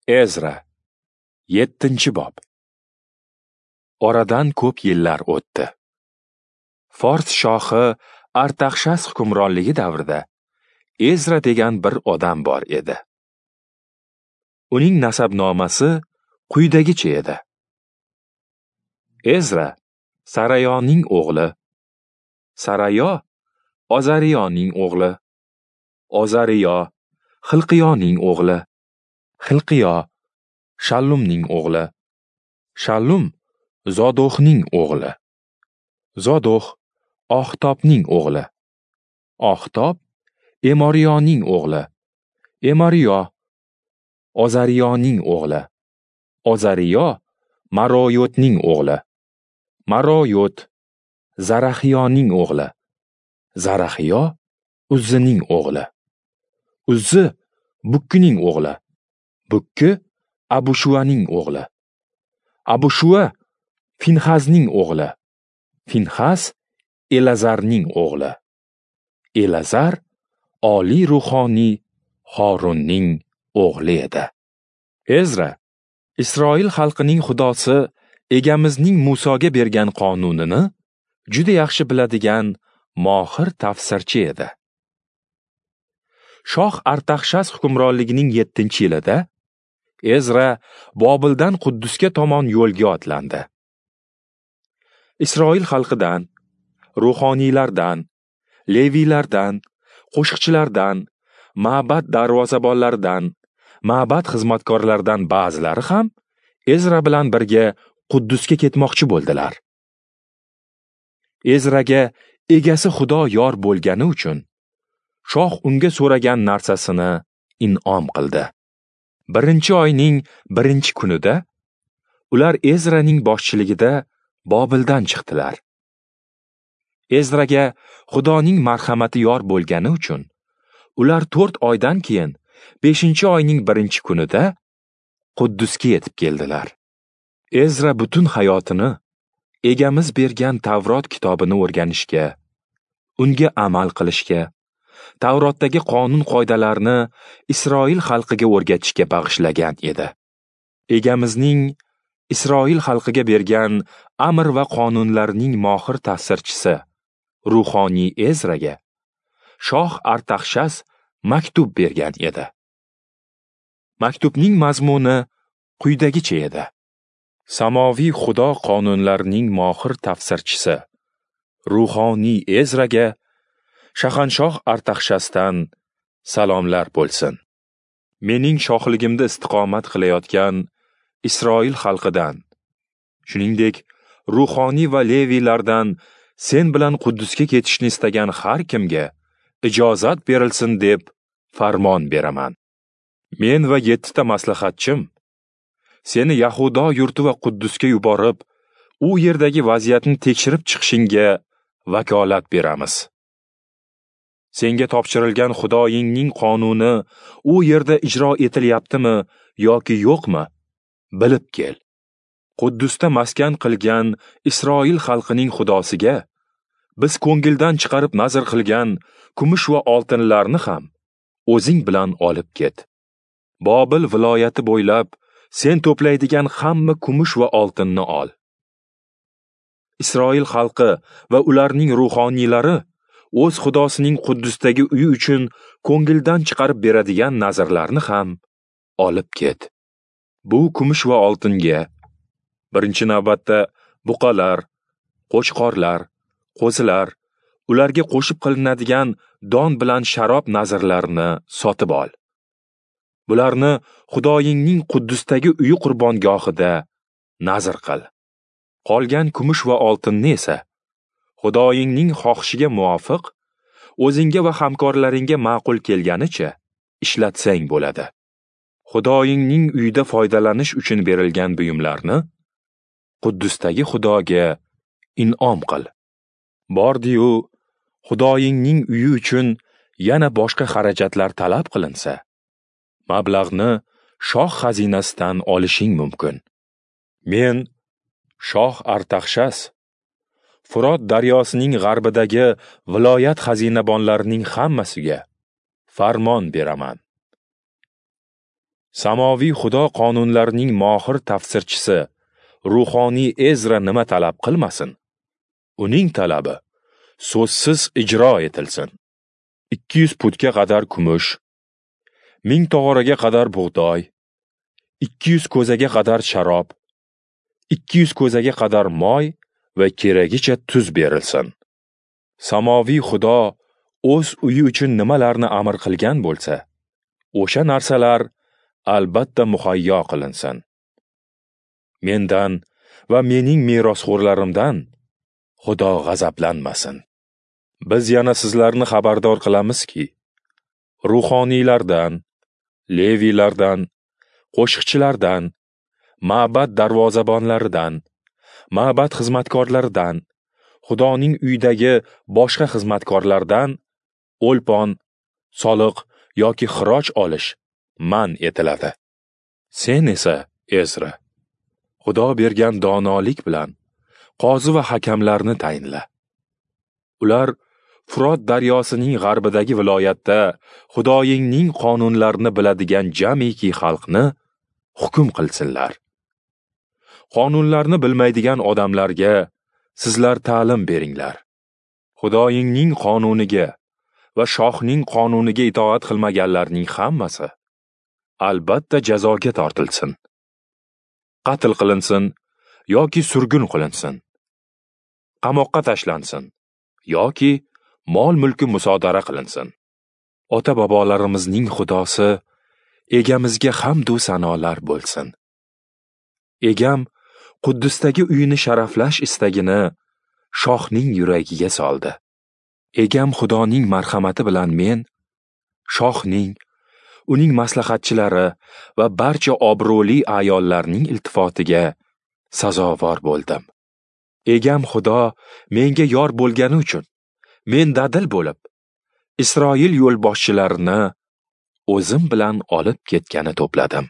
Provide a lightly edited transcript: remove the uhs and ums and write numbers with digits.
Ezra, 7-bob. Oradan ko'p yillar o'tdi. Fors shohi Artaxshas hukmronligi davrida Ezra degan bir odam bor edi. Uning nasabnomasi quyidagicha edi. Ezra Sarayoning o'g'li, Sarayo Ozariyoning o'g'li, Ozariyo Xilqiyoning o'g'li, Xilqiyo Shallumning o'g'li, Shallum Zodohning o'g'li, Zodoh Oxtobning o'g'li, Oxtob Emoriyoning o'g'li, Emoriyo Ozariyoning o'g'li, Ozariyo Maroyotning o'g'li, Maroyot Zaraxiyoning o'g'li, Zaraxiyo Uzzining o'g'li, Uzzi Bukkining o'g'li, Bukki Abushuaning o'g'li, Abushua Finxazning o'g'li, Finxaz Elazarning o'g'li, Elazar oliy ruhoniy Horunning o'g'li edi. Ezra Isroil xalqining xudosi egamizning Musoga bergan qonunini juda yaxshi biladigan mohir tafsirchi edi. Shoh Artaxshas hukmronligining 7-yilida Ezra Bobildan Quddusga tomon yo'lga otlandi. Isroil xalqidan, ruhoniylardan, leviylardan, qo'shiqchilardan, ma'bad darvozabonlaridan, ma'bad xizmatkorlaridan ba'zilari ham Ezra bilan birga Quddusga ketmoqchi bo'ldilar. Ezraga egasi Xudo yor bo'lgani uchun shoh unga so'ragan narsasini in'om qildi. 1-oyning 1-kunida ular Ezraning boshchiligida Bobildan chiqdilar. Ezraga Xudoning marhamati yor bo'lgani uchun ular 4 oydan keyin 5-oyning 1-kunida Quddusga yetib keldilar. Ezra butun hayotini egamiz bergan Tavrot kitobini o'rganishga, unga amal qilishga, Tavrotdagi qonun-qoidalarni Isroil xalqiga o'rgatishga bag'ishlagan edi. Egamizning Isroil xalqiga bergan amr va qonunlarning mohir tafsirchisi ruhoniy Ezraga shoh Artaxshas maktub bergan edi. Maktubning mazmuni quyidagicha edi. Samoviy Xudo qonunlarining mohir tafsirchisi ruhoniy Ezraga shahanshoh Artaxshasdan salomlar bo'lsin. Mening shohligimda istiqomat qilayotgan Isroil xalqidan, shuningdek, ruhoniy va leviylardan sen bilan Quddusga ketishni istagan har kimga ijozat berilsin deb farmon beraman. Men va 7 ta maslahatchim seni Yahudo yurti va Quddusga yuborib, u yerdagi vaziyatni tekshirib chiqishingga vakolat beramiz. Senga topshirilgan Xudoyingning qonuni u yerda ijro etilyaptimi yoki yo'qmi, bilib kel. Quddusda maskan qilgan Isroil xalqining Xudosiga biz ko'ngildan chiqarib nazr qilgan kumush va oltinlarni ham o'zing bilan olib ket. Bobil viloyati bo'ylab sen to'playdigan hamma kumush va oltinni ol. Isroil xalqi va ularning ruhoniylari o'z Xudosining Quddusdagi uyi uchun ko'ngildan chiqarib beradigan nazrlarni ham olib ket. Bu kumush va oltinga birinchi navbatda buqalar, qo'chqorlar, qo'zilar, ularga qo'shib qilinadigan don bilan sharob nazrlarini sotib ol. Bularni Xudoyingning Quddusdagi uyi qurbongohida nazr qil. Qolgan kumush va oltinni esa Xudoyingning xohishiga muvofiq o'zingga va hamkorlaringga ma'qul kelganicha ishlatsang bo'ladi. Xudoyingning uyida foydalanish uchun berilgan buyumlarni Quddusdagi Xudoga in'om qil. Bordi-yu, Xudoyingning uyi uchun yana boshqa xarajatlar talab qilinsa, mablag'ni shoh xazinasidan olishing mumkin. Men shoh Artaxshas Furot daryosining g'arbidagi viloyat xazinabonlarining hammasiga farmon beraman. Samoviy Xudo qonunlarining mohir tafsirchisi ruhoniy Ezra nima talab qilmasin, uning talabi so'zsiz ijro etilsin. 200 putga qadar kumush, 1000 tog'oraga qadar bug'doy, 200 ko'zaga qadar sharob, 200 ko'zaga qadar moy va keragicha tuz berilsin. Samoviy Xudo o'z uyi uchun nimalarni amr qilgan bo'lsa, o'sha narsalar albatta muhayyo qilinsin. Mendan va mening merosxo'rlarimdan Xudo g'azablanmasin. Biz yana sizlarni xabardor qilamizki, ruhoniylardan, leviylardan, qo'shiqchilardan, ma'bad darvozabonlaridan, ma'bad xizmatkorlaridan, Xudoning uyidagi boshqa xizmatkorlardan o'lpon, soliq yoki xiroj olish man etiladi. Sen esa, Ezra, Xudo bergan donolik bilan qozi va hakamlarni tayinla. Ular Furot daryosining g'arbidagi viloyatda Xudoyingning qonunlarini biladigan jamiki xalqni hukm qilsinlar. Qonunlarni bilmaydigan odamlarga sizlar ta'lim beringlar. Xudoyingning qonuniga va shohning qonuniga itoat qilmaganlarning hammasi albatta jazoga tortilsin, qatl qilinsin yoki surgun qilinsin, qamoqqa tashlansin yoki mol-mulki musodara qilinsin. Ota-bobolarimizning Xudosi Egamizga hamd u sanolar bo'lsin. Egam Quddusdagi uyini sharaflash istagini shohning yuragiga soldi. Egam Xudoning marhamati bilan men shohning, uning maslahatchilari va barcha obro'li ayollarning iltifotiga sazovor bo'ldim. Egam Xudo menga yor bo'lgani uchun men dadil bo'lib, Isroil yo'lboshchilarini o'zim bilan olib ketgani to'pladim.